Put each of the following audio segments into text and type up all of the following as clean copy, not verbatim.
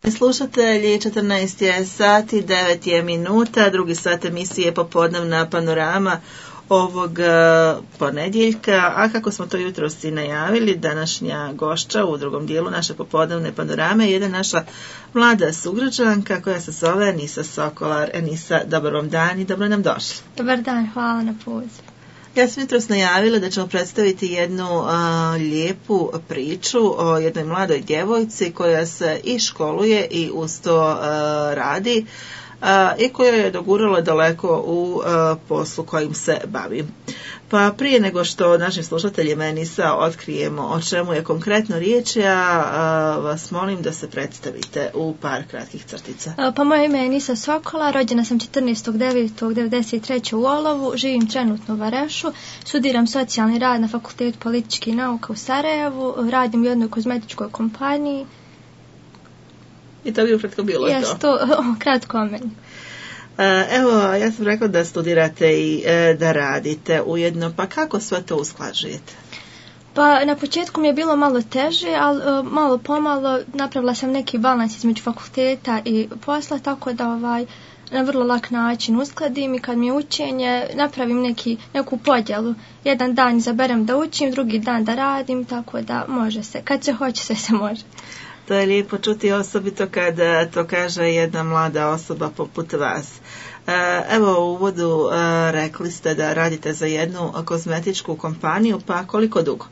Slušatelji, 14 je sati, 9 je minuta, drugi sat emisije Popodnevna panorama ovog ponedjeljka, a kako smo to jutros i najavili, današnja gošća u drugom dijelu naše popodnevne panorame je jedna naša mlada sugrađanka koja se zove Enisa Sokolar. Enisa, dobar vam dan i dobro nam došli. Dobar dan, hvala na pozivu. Ja sam jutros najavila da ćemo predstaviti jednu lijepu priču o jednoj mladoj djevojci koja se i školuje i uz to radi i koja je dogurala daleko u poslu kojim se bavi. Pa prije nego što našim slušateljima Enisa otkrijemo o čemu je konkretno riječ, ja vas molim da se predstavite u par kratkih crtica. Pa moje ime je Enisa Sokolar, rođena sam 14.9.1993. u Olovu, živim trenutno u Varešu, studiram socijalni rad na Fakultetu političkih nauka u Sarajevu, radim u jednoj kozmetičkoj kompaniji. I to bi ukratko bilo to? Jes, to kratko o meni. Evo, ja sam rekla da studirate i da radite ujedno, pa kako sve to usklađujete? Pa na početku mi je bilo malo teže, ali malo pomalo napravila sam neki balans između fakulteta i posla, tako da na vrlo lak način uskladim i kad mi je učenje napravim neku podjelu. Jedan dan izaberem da učim, drugi dan da radim, tako da može se. Kad se hoće, sve se može. To je lijepo čuti, osobito kada to kaže jedna mlada osoba poput vas. Evo u uvodu rekli ste da radite za jednu kozmetičku kompaniju, pa koliko dugo?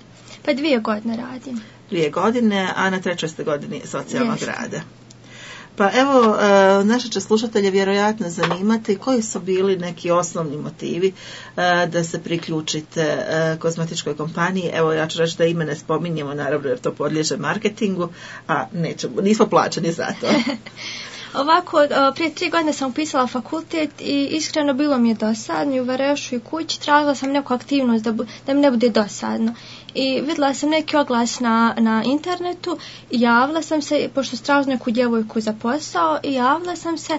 Pa 2 godine radim. 2 godine, a na 3. ste godini socijalnog rada. Pa evo, naše će slušatelje vjerojatno zanimati koji su bili neki osnovni motivi da se priključite kozmetičkoj kompaniji. Evo, ja ću reći da ime ne spominjemo, naravno jer to podliježe marketingu, a nismo plaćeni za to. Ovako, prije 3 godine sam upisala fakultet i iskreno bilo mi je dosadno i u Varešu i kući. Tražila sam neku aktivnost da mi ne bude dosadno. I vidjela sam neki oglas na internetu i javila sam se, pošto tražila neku djevojku za posao, i javila sam se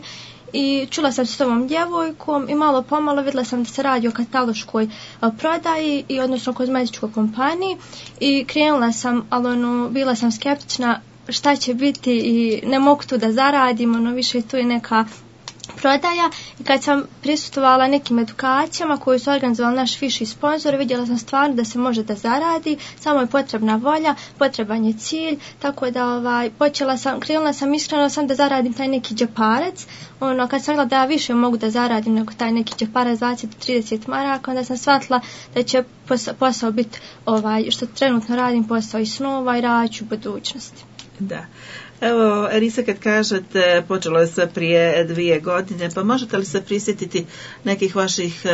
i čula sam se s ovom djevojkom i malo pomalo vidjela sam da se radi o kataloškoj prodaji i odnosno kozmetičkoj kompaniji i krenula sam, ali bila sam skeptična šta će biti i ne mogu tu da zaradim, više tu je neka prodaja. I kad sam prisustvovala nekim edukacijama koje su organizovali naš viši sponzor, vidjela sam stvarno da se može da zaradi, samo je potrebna volja, potreban je cilj, tako da krenula sam iskreno sam da zaradim taj neki džeparac. Kad sam vidjela da ja više mogu da zaradim nego taj neki džeparac 20-30 maraka, onda sam shvatila da će posao biti što trenutno radim, posao i snova i radit ću u budućnosti. Da. Evo, Enisa, kad kažete počelo je sve prije 2 godine, pa možete li se prisjetiti nekih vaših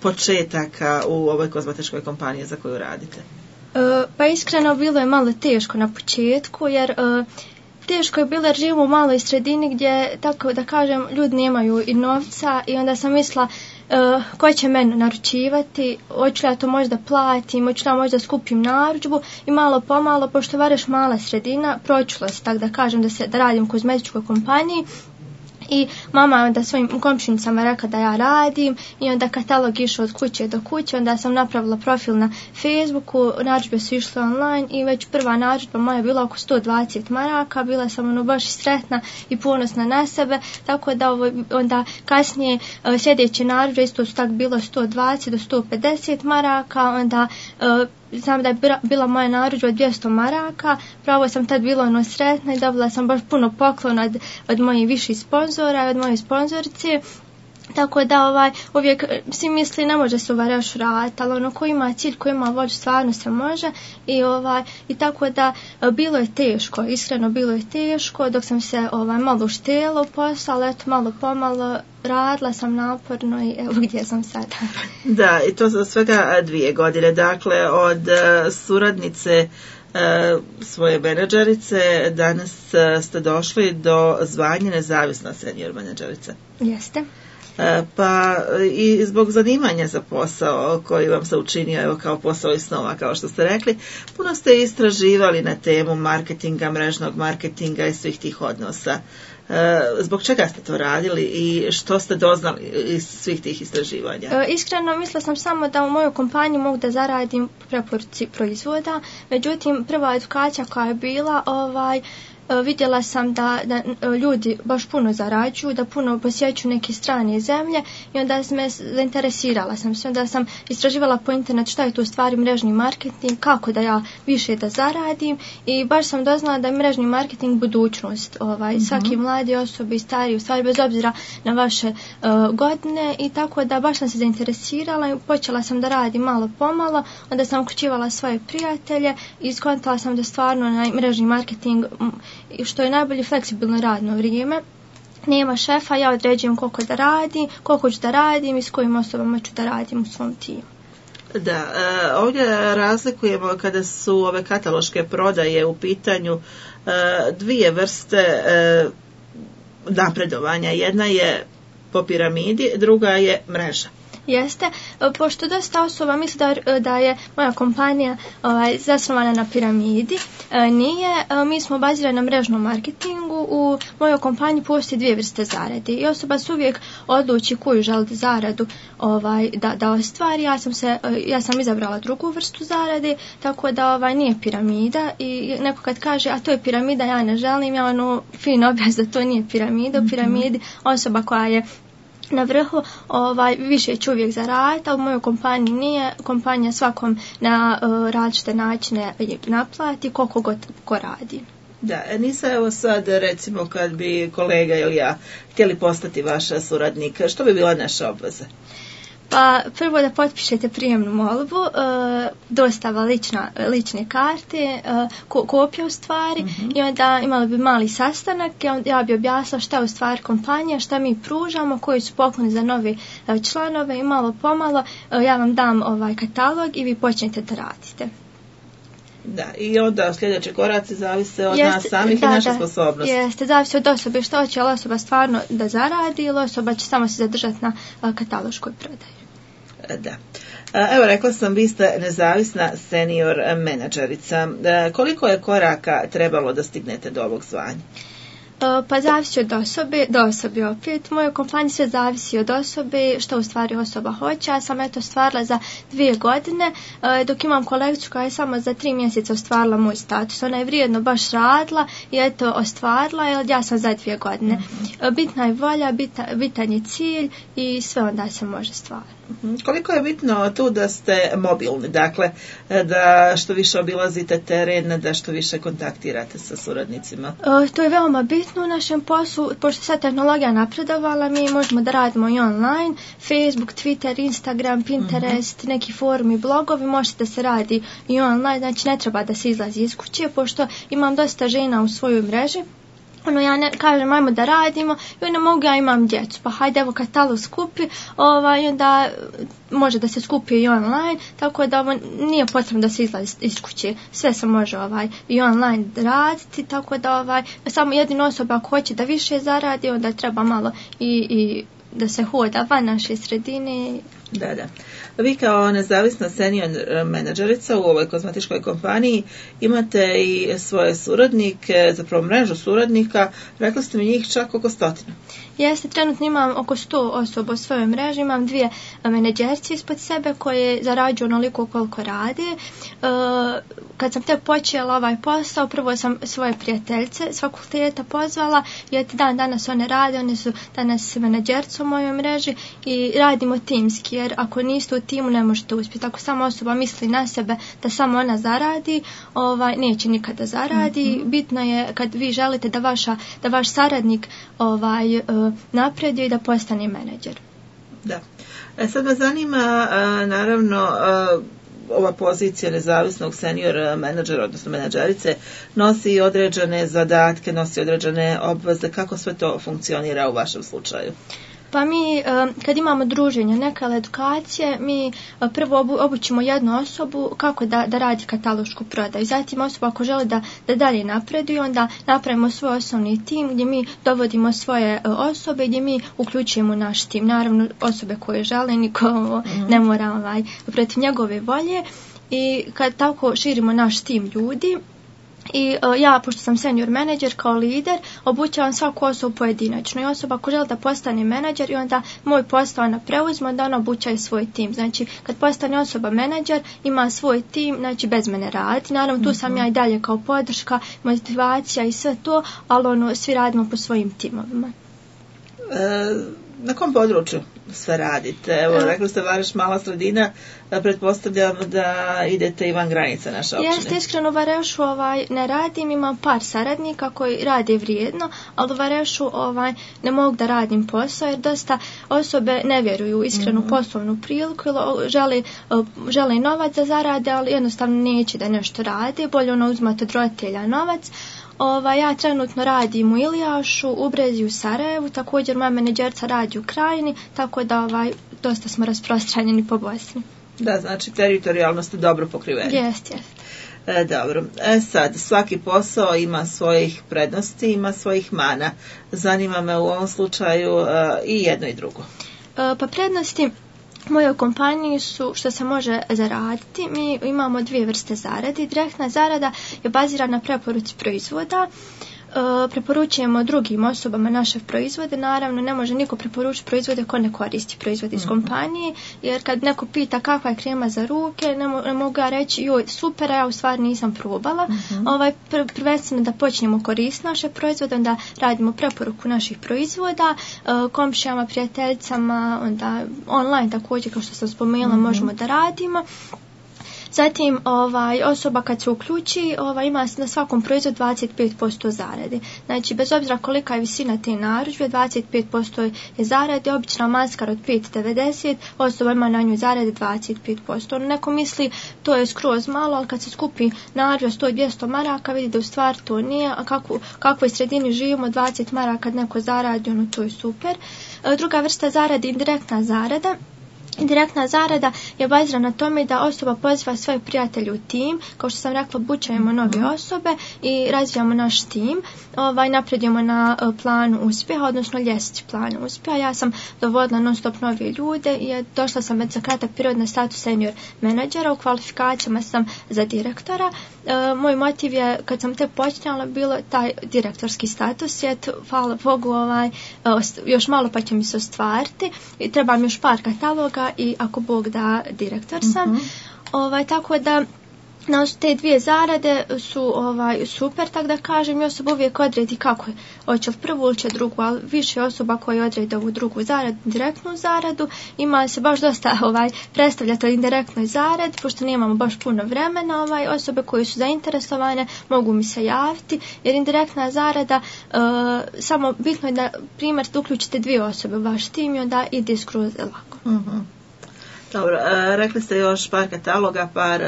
početaka u ovoj kozmetičkoj kompaniji za koju radite? Pa iskreno bilo je malo teško na početku, jer teško je bilo jer živimo u maloj sredini gdje, tako da kažem, ljudi nemaju i novca i onda sam mislila ko će meni naručivati, hoću ja to možda platim, hoću ja možda skupim narudžbu i malo pomalo, pošto Vareš mala sredina, pročula se tako da kažem da radim u kozmetičkoj kompaniji. I mama je onda svojim komšinicama rekla da ja radim i onda katalog išao od kuće do kuće, onda sam napravila profil na Facebooku, narudžbe su išle online i već prva narudžba moja je bila oko 120 maraka, bila sam baš sretna i ponosna na sebe, tako da onda kasnije sljedeće narudžbe isto su tako bilo 120 do 150 maraka, onda znam da je bila moja narudžba 200 maraka, pravo sam tad bila sretna i dobila sam baš puno poklona od mojih viših sponzora i od moje sponzorice. Tako da uvijek svi misli ne može se u Varešu raditi, ali ko ima cilj, ko ima volju, stvarno se može i tako da bilo je teško, iskreno bilo je teško dok sam se malo uštela u posao, ali eto malo pomalo radila sam naporno i evo gdje sam sada. Da, i to za svega 2 godine, dakle od suradnice svoje menadžerice danas ste došli do zvanja nezavisna senior menadžerica. Jeste. Pa i zbog zanimanja za posao koji vam se učinio evo kao posao iz snova, kao što ste rekli, puno ste istraživali na temu marketinga, mrežnog marketinga i svih tih odnosa. Zbog čega ste to radili i što ste doznali iz svih tih istraživanja? Iskreno mislila sam samo da u mojoj kompaniji mogu da zaradim preporuci proizvoda, međutim prva edukacija koja je bila vidjela sam da ljudi baš puno zarađuju, da puno posjećuju neke strane zemlje i onda zainteresirala sam se, onda sam istraživala po internetu šta je to u stvari mrežni marketing, kako da ja više da zaradim i baš sam doznala da je mrežni marketing budućnost. Svaki mladi osobe i stariji, u stvari bez obzira na vaše godine i tako da baš sam se zainteresirala i počela sam da radim malo pomalo, onda sam uključivala svoje prijatelje i skontala sam da stvarno na mrežni marketing, što je najbolje, fleksibilno radno vrijeme. Nema šefa, ja određujem koliko ću da radim i s kojim osobama ću da radim u svom timu. Da, ovdje razlikujemo kada su ove kataloške prodaje u pitanju dvije vrste napredovanja. Jedna je po piramidi, druga je mreža. Jeste, pošto dosta osoba misli da je moja kompanija zasnovana na piramidi, nije, mi smo bazirani na mrežnom marketingu, u mojoj kompaniji postoji dvije vrste zarade i osoba se uvijek odluči koju želi zaradu da ostvari. Ja sam izabrala drugu vrstu zarade, tako da nije piramida i neko kad kaže, a to je piramida, ja ne želim, ja fin objasn da to nije piramida. U piramidi osoba koja je na vrhu više će uvijek zaraditi, a u mojoj kompaniji nije. Kompanija svakom na različite načine naplati koliko god ko radi. Da, Enisa, evo sad recimo kad bi kolega ili ja htjeli postati vaša suradnika, što bi bila naša obveza? Pa prvo da potpišete prijemnu molbu, dostava lične karte, kopija u stvari i onda imali bi mali sastanak i ja bi objasnila šta je u stvari kompanija, šta mi pružamo, koji su pokloni za nove članove i malo pomalo ja vam dam katalog i vi počnete da radite. Da, i onda sljedeći koraci zavise od nas samih i naše sposobnosti. Jeste, zavisi od osobe što će, ali osoba stvarno da zaradi ili osoba će samo se zadržati na kataloškoj prodaji. Da. Evo, rekla sam, vi ste nezavisna senior menadžerica. Koliko je koraka trebalo da stignete do ovog zvanja? Pa zavisi od osobe opet. Moje kompanije sve zavisi od osobe, što u stvari osoba hoće. Ja sam ostvarila za 2 godine, dok imam kolegicu koja je samo za 3 mjeseca ostvarila moj status. Ona je vrijedno baš radila i ostvarila, jer ja sam za 2 godine. Bitna je volja, bitan je cilj i sve onda se može stvariti. Koliko je bitno tu da ste mobilni, dakle da što više obilazite teren, da što više kontaktirate sa suradnicima? To je veoma bitno u našem poslu, pošto sad tehnologija napredovala, mi možemo da radimo i online, Facebook, Twitter, Instagram, Pinterest, neki forumi, blogovi, možete da se radi i online, znači ne treba da se izlazi iz kuće, pošto imam dosta žena u svojoj mreži. Ja ne kažem ajmo da radimo i ne mogu, ja imam djecu, pa hajde evo katalog skupi, onda može da se skupi i online, tako da nije potrebno da se izlazi iz kuće, sve se može i online raditi, tako da samo jedina osoba ako hoće da više zaradi, onda treba malo i da se hoda van naše sredine. Da. Vi kao nezavisna senior menadžerica u ovoj kozmetičkoj kompaniji imate i svoje suradnike, zapravo mrežu suradnika, rekli ste mi njih čak oko 100. Jeste, trenutno imam oko 100 osoba u svojoj mreži, imam 2 menadžerci ispod sebe koje zarađuju onoliko koliko rade. Kad sam te počela ovaj posao, prvo sam svoje prijateljice s fakulteta pozvala i danas one rade, one su danas menadžerci u mojoj mreži i radimo timski, jer ako niste u timu ne možete uspjeti. Ako sama osoba misli na sebe da samo ona zaradi, neće nikada zaradi. Bitno je kad vi želite da vaš saradnik napreduje i da postane menadžer. Da. Sad me zanima, naravno, ova pozicija nezavisnog senior menadžera, odnosno menadžerice, nosi određene zadatke, nosi određene obveze. Kako sve to funkcionira u vašem slučaju? Pa mi kad imamo druženje, neke edukacije, mi prvo obučimo jednu osobu kako da radi katalošku prodaju. Zatim osoba ako želi da dalje napreduje, onda napravimo svoj osnovni tim gdje mi dovodimo svoje osobe, gdje mi uključujemo naš tim. Naravno osobe koje žele, niko ne mora protiv njegove volje. I kad tako širimo naš tim ljudi, I ja, pošto sam senior menadžer kao lider, obučavam svaku osobu pojedinačno i osoba ako želi da postane menadžer i onda moj posao ona preuzme, onda ona obučaje svoj tim. Znači, kad postane osoba menadžer, ima svoj tim, znači bez mene radi. Naravno, tu sam ja i dalje kao podrška, motivacija i sve to, ali svi radimo po svojim timovima. Na kom području sve radite? Evo, rekli ste Vareš mala sredina, pretpostavljam da idete i van granica naše općine. Jeste, iskreno u Varešu ne radim, imam par saradnika koji rade vrijedno, ali u Varešu ne mogu da radim posao jer dosta osobe ne vjeruju iskrenu poslovnu priliku ili žele novac da zarade, ali jednostavno neće da nešto rade, bolje uzmati od roditelja novac. Ja trenutno radim u Ilijašu, u Brezi, u Sarajevu, također moja menadžerca radi u Krajini, tako da dosta smo rasprostranjeni po Bosni. Da, znači teritorijalno ste dobro pokriveni. Jest. Dobro. Sad, svaki posao ima svojih prednosti, ima svojih mana. Zanima me u ovom slučaju i jedno i drugo. Pa prednosti u mojoj kompaniji su što se može zaraditi. Mi imamo dvije vrste zarade. Direktna zarada je bazirana na preporuci proizvoda. Preporučujemo drugim osobama naše proizvode. Naravno, ne može niko preporučiti proizvode ko ne koristi proizvode iz kompanije, jer kad neko pita kakva je krema za ruke, ne mogu ja reći joj super, a ja u stvari nisam probala. Prvenstveno da počnemo koristiti naše proizvode, onda radimo preporuku naših proizvoda, komšijama, prijateljicama, onda online također, kao što sam spomenula, možemo da radimo. Zatim, osoba kad se uključi, ima na svakom proizvodu 25% zarade. Znači, bez obzira kolika je visina te narudžbe, 25% je zarade, obična maskara od 5,90, osoba ima na nju zarade 25%. Neko misli, to je skroz malo, ali kad se skupi narudžba 100-200 maraka, vidi da u stvari to nije, a kakvoj sredini živimo, 20 maraka kad neko zaradi, to je super. Druga vrsta zarade je indirektna zarada. Indirektna zarada je bazirana na tome da osoba poziva svoje prijatelje u tim, kao što sam rekla, obučavamo nove osobe i razvijamo naš tim, napredujemo na planu uspjeha, odnosno ljestvici planu uspjeha. Ja sam dovodila non stop nove ljude i došla sam za kratak period na status senior menadžera, u kvalifikacijama sam za direktora. Moj motiv je, kad sam te počinjala, bilo taj direktorski status, hvala Bogu, još malo pa će mi se ostvariti i treba mi još par kataloga i ako Bog da, direktor sam. Tako da te dvije zarade su super, tako da kažem, i osoba uvijek odredi kako je, hoće li prvu ili će drugu, ali više osoba koje odredi ovu drugu zaradu, direktnu zaradu, ima se baš dosta predstavljati o indirektnoj zaradi, pošto nemamo baš puno vremena, osobe koje su zainteresovane mogu mi se javiti, jer indirektna zarada, samo bitno je da primjer da uključite dvije osobe u vaš tim i onda ide skroz lako. Dobro, rekli ste još par kataloga, par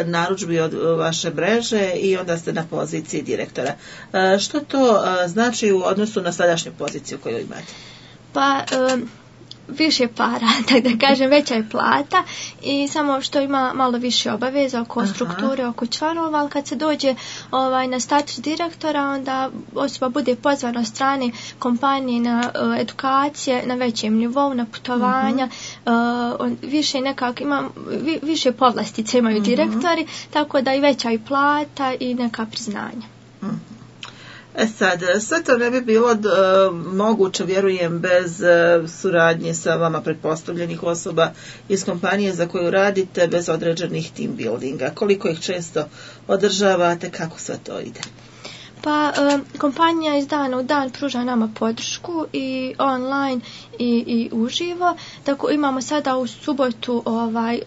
narudžbi od vaše mreže i onda ste na poziciji direktora. Što to znači u odnosu na sadašnju poziciju koju imate? Pa, više para, tako da kažem, veća je plata i samo što ima malo više obaveza oko strukture, oko članova, ali kad se dođe na status direktora, onda osoba bude pozvana od strane kompanije na edukacije na većem nivou, na putovanja, više povlastice imaju direktori, tako da i veća i plata i neka priznanja. Sad, sve to ne bi bilo moguće, vjerujem, bez suradnje sa vama pretpostavljenih osoba iz kompanije za koju radite, bez određenih team buildinga. Koliko ih često održavate, kako sve to ide? Pa, kompanija iz dana u dan pruža nama podršku i online i uživo. Tako imamo sada u subotu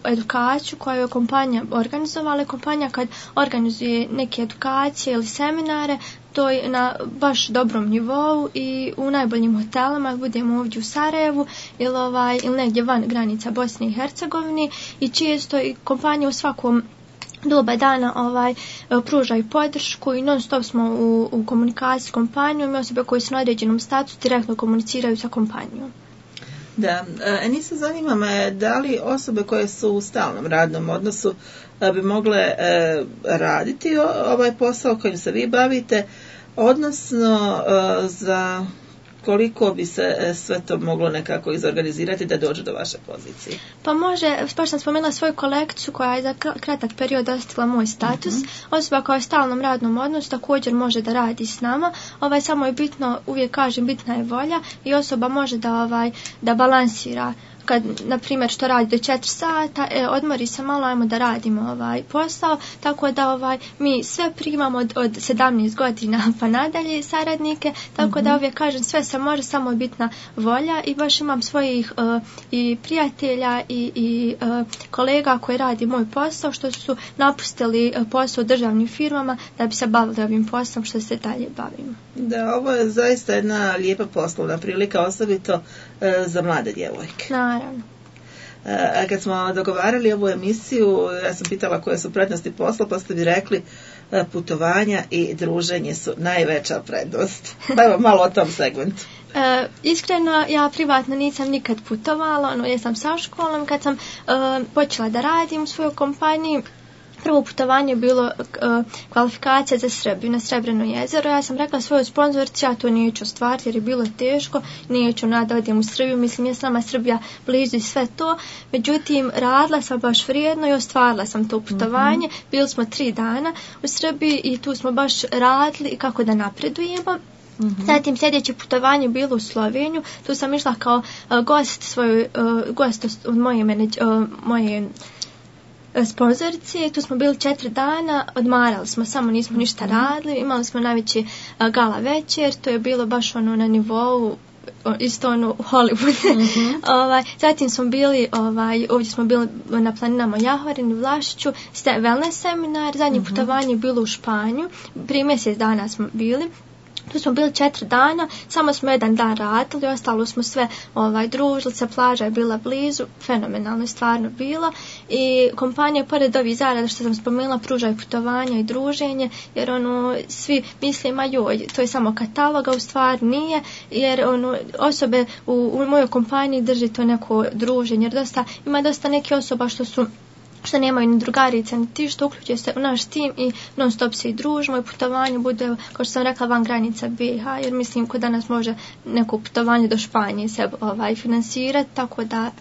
edukaciju koju je kompanija organizovala. Kompanija kad organizuje neke edukacije ili seminare, to je na baš dobrom nivou i u najboljim hotelama, budemo ovdje u Sarajevu ili negdje van granica Bosne i Hercegovine i često i kompanija u svakom doba dana pružaju podršku i non stop smo u komunikaciji s kompanijom i osobe koje su na određenom statusu direktno komuniciraju sa kompanijom. Da, Enisa, zanima me da li osobe koje su u stalnom radnom odnosu bi mogle raditi ovaj posao kojim se vi bavite, odnosno za koliko bi se sve to moglo nekako izorganizirati da dođe do vaše pozicije? Pa može, baš sam spomenula svoju kolekciju koja je za kratak period dostigla moj status. Osoba koja je u stalnom radnom odnosu također može da radi s nama. Samo je bitno, uvijek kažem, bitna je volja i osoba može da balansira. Kad, na primjer, što radi do 4 sata, odmori se malo, ajmo da radimo posao, tako da mi sve primamo od 17 godina pa nadalje saradnike, tako da uvijek kažem, sve se može, samo je bitna volja i baš imam svojih i prijatelja i kolega koji radi moj posao, što su napustili posao u državnim firmama da bi se bavili ovim poslom što se dalje bavimo. Da, ovo je zaista jedna lijepa poslovna prilika, osobito za mlade djevojke. Naravno. A kad smo dogovarali ovu emisiju, ja sam pitala koje su prednosti posla, pa ste mi rekli putovanja i druženje su najveća prednost. Pa evo malo o tom segmentu. Iskreno, ja privatno nisam nikad putovala, jesam sa školom, kad sam počela da radim u svojoj kompaniji. Prvo putovanje je bilo kvalifikacija za Srbiju na Srebreno jezero. Ja sam rekla svojoj sponzorici, ja to neću ostvariti jer je bilo teško, neću da odem u Srbiju, mislim je s nama Srbija blizu i sve to. Međutim, radila sam baš vrijedno i ostvarila sam to putovanje. Bili smo 3 dana u Srbiji i tu smo baš radili kako da napredujemo. Zatim sljedeće putovanje bilo u Sloveniju. Tu sam išla kao gost od moje sponzorice, tu smo bili 4 dana, odmarali smo, samo nismo ništa radili, imali smo najveći gala večer, to je bilo baš na nivou isto Hollywood. Zatim smo bili, ovdje smo bili na planinama Jahvarin, Vlašiću, wellness seminar, zadnje putovanje je bilo u Španju, prije mjesec dana smo bili. Tu smo bili 4 dana, samo smo 1 dan radili, ostalo smo sve družili se, plaža je bila blizu, fenomenalno je stvarno bilo i kompanija pored ovih zarada što sam spomenula pruža i putovanja i druženje, jer svi misle to je samo katalog, a u stvari nije, jer osobe u mojoj kompaniji drži to neko druženje, jer ima dosta neke osoba što nemaju ni drugarice, ni ti što uključuje se u naš tim i non stop se i družimo i putovanje bude, kao što sam rekla, van granica BiH, jer mislim ko danas može neko putovanje do Španije se finansirati, tako da...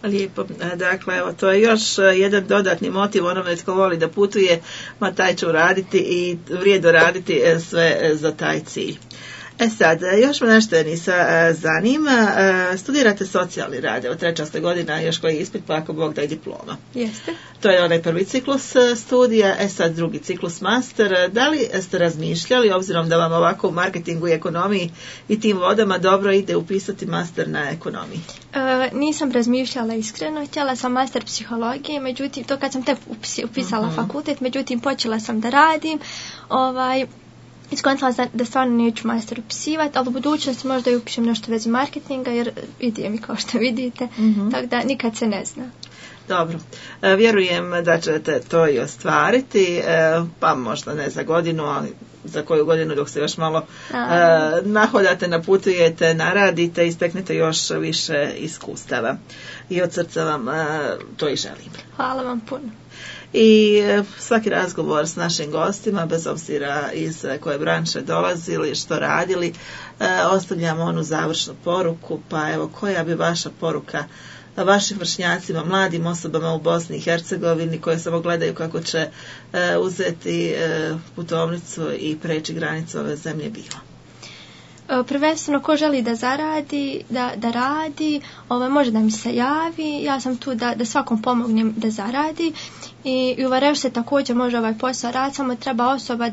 Lijepo, dakle, evo, to je još jedan dodatni motiv onome tko voli da putuje, ma taj će uraditi i vrijedno raditi sve za taj cilj. Sad, još me nešto Enisa zanima, studirate socijalni rad, evo 3. ste godina, još koji ispit, pa ako Bog da i diploma. Jeste. To je onaj prvi ciklus studija, sad drugi ciklus master. Da li ste razmišljali, obzirom da vam ovako u marketingu i ekonomiji i tim vodama dobro ide upisati master na ekonomiji? Nisam razmišljala iskreno, htjela sam master psihologije, međutim, to kad sam tek upisala fakultet, međutim, počela sam da radim, iskontala da stvarno neću master upisivati, ali u budućnosti možda i upišem nešto vezi marketinga, jer ide mi kao što vidite, tako da nikad se ne zna. Dobro, vjerujem da ćete to i ostvariti, pa možda ne za godinu, ali za koju godinu dok se još malo nahodate, naputujete, naradite i steknete još više iskustava. I od srca vam to i želim. Hvala vam puno. I svaki razgovor s našim gostima, bez obzira iz koje branše dolazili, što radili, ostavljamo onu završnu poruku, pa evo, koja bi vaša poruka vašim vršnjacima, mladim osobama u Bosni i Hercegovini koje samo gledaju kako će uzeti putovnicu i preći granicu ove zemlje bila? Prvenstveno ko želi da zaradi, da radi, može da mi se javi, ja sam tu da svakom pomognem da zaradi i u Varevšu se također može ovaj posao raditi, samo treba osoba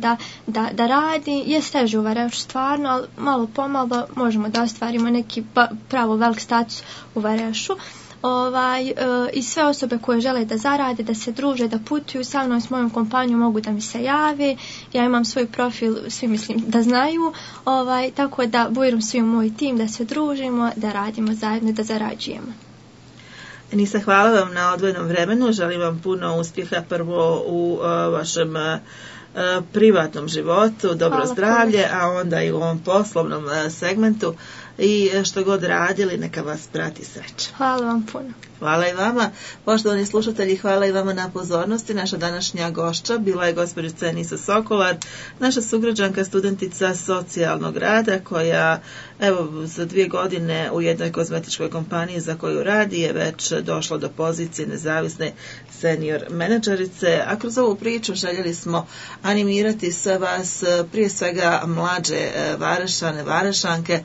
da radi, je teže u Varevšu stvarno, ali malo pomalo možemo da ostvarimo neki pravo velik status u Varevšu. I sve osobe koje žele da zarade, da se druže, da putuju sa mnom, s mojom kompanijom mogu da mi se jave. Ja imam svoj profil, svi mislim da znaju, tako da bujem svi u moj tim, da se družimo, da radimo zajedno, da zarađujemo. Enisa, hvala vam na odvojenom vremenu, želim vam puno uspjeha prvo u vašem privatnom životu, dobro zdravlje, a onda i u ovom poslovnom segmentu i što god radili, neka vas prati sreća. Hvala vam puno. Hvala i vama. Poštovani slušatelji, hvala i vama na pozornosti. Naša današnja gošća bila je gospođica Enisa Sokolar, naša sugrađanka, studentica socijalnog rada, koja evo za 2 godine u jednoj kozmetičkoj kompaniji za koju radi je već došla do pozicije nezavisne senior menadžerice. A kroz ovu priču željeli smo animirati sve vas, prije svega mlađe Varašane, Varašanke,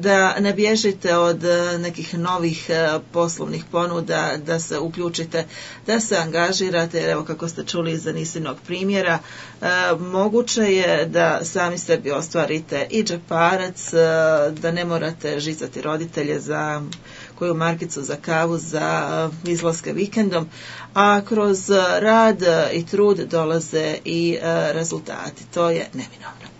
da ne bježite od nekih novih poslovnih ponuda, da se uključite, da se angažirate, jer evo kako ste čuli iz Anisinog primjera, moguće je da sami sebi ostvarite i džeparac, da ne morate žicati roditelje za koju markicu za kavu, za izlaske vikendom, a kroz rad i trud dolaze i rezultati. To je neminovno.